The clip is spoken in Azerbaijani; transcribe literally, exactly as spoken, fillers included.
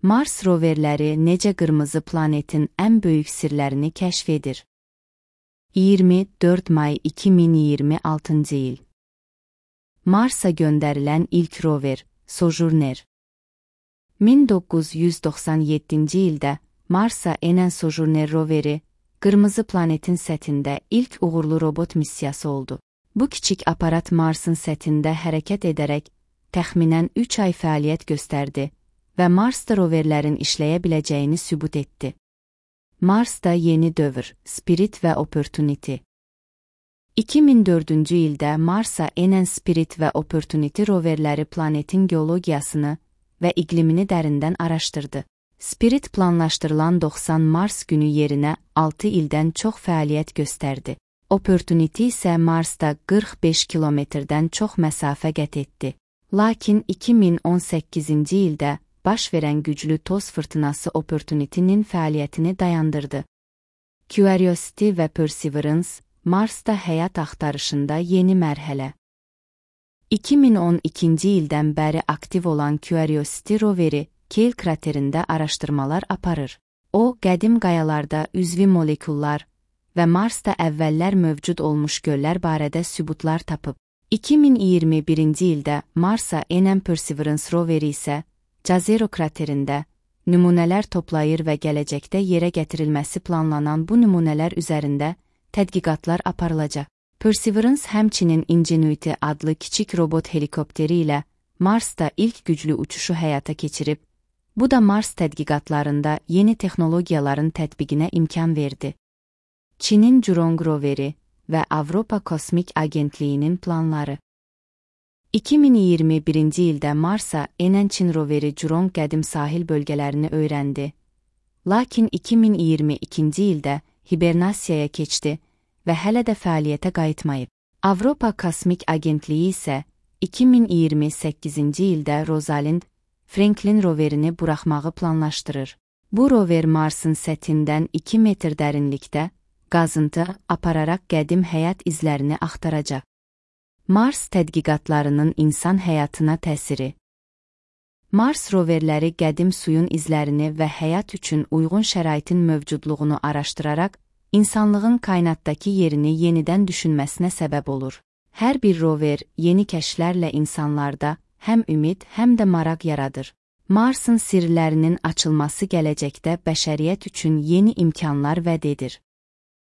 Mars roverləri necə qırmızı planetin ən böyük sirlərini kəşf edir? iyirmi dörd may iki min iyirmi altıncı il. Marsa göndərilən ilk rover, Sojourner. min doqquz yüz doxsan yeddinci ildə Marsa enən Sojourner roveri, qırmızı planetin səthində ilk uğurlu robot missiyası oldu. Bu kiçik aparat Marsın səthində hərəkət edərək təxminən üç ay fəaliyyət göstərdi və Marsda roverlərin işləyə biləcəyini sübut etdi. Marsda yeni dövr, Spirit və Opportunity. iki min dördüncü ildə Marsa enən Spirit və Opportunity roverləri planetin geologiyasını və iqlimini dərindən araşdırdı. Spirit planlaşdırılan doxsan Mars günü yerinə altı ildən çox fəaliyyət göstərdi. Opportunity isə Marsda qırx beş kilometrdən çox məsafə qət etdi. Lakin iki min on səkkizinci ildə baş verən güclü toz fırtınası Opportunity'nin fəaliyyətini dayandırdı. Curiosity və Perseverance, Marsda həyat axtarışında yeni mərhələ. iki min on ikinci ildən bəri aktiv olan Curiosity roveri, Keil kraterində araşdırmalar aparır. O, qədim qayalarda üzvi molekullar və Marsda əvvəllər mövcud olmuş göllər barədə sübutlar tapıb. iki min iyirmi birinci ildə Marsa enən Perseverance roveri isə Jezero kraterində nümunələr toplayır və gələcəkdə yerə gətirilməsi planlanan bu nümunələr üzərində tədqiqatlar aparılacaq. Perseverance həmçinin Ingenuity adlı kiçik robot helikopteri ilə Marsda ilk güclü uçuşu həyata keçirib, bu da Mars tədqiqatlarında yeni texnologiyaların tətbiqinə imkan verdi. Çinin Zhurong roveri və Avropa Kosmik Agentliyinin planları. iki min iyirmi birinci ildə Marsa enən Çin roveri Zhurong qədim sahil bölgələrini öyrəndi. Lakin iki min iyirmi ikinci ildə hibernasiyaya keçdi və hələ də fəaliyyətə qayıtmayıb. Avropa Kosmik Agentliyi isə iki min iyirmi səkkizinci ildə Rosalind Franklin roverini buraxmağı planlaşdırır. Bu rover Marsın səthindən iki metr dərinlikdə qazıntı apararaq qədim həyat izlərini axtaracaq. Mars tədqiqatlarının insan həyatına təsiri. Mars roverləri qədim suyun izlərini və həyat üçün uyğun şəraitin mövcudluğunu araşdıraraq, insanlığın kainatdakı yerini yenidən düşünməsinə səbəb olur. Hər bir rover yeni kəşflərlə insanlarda həm ümid, həm də maraq yaradır. Marsın sirlərinin açılması gələcəkdə bəşəriyyət üçün yeni imkanlar vəd edir.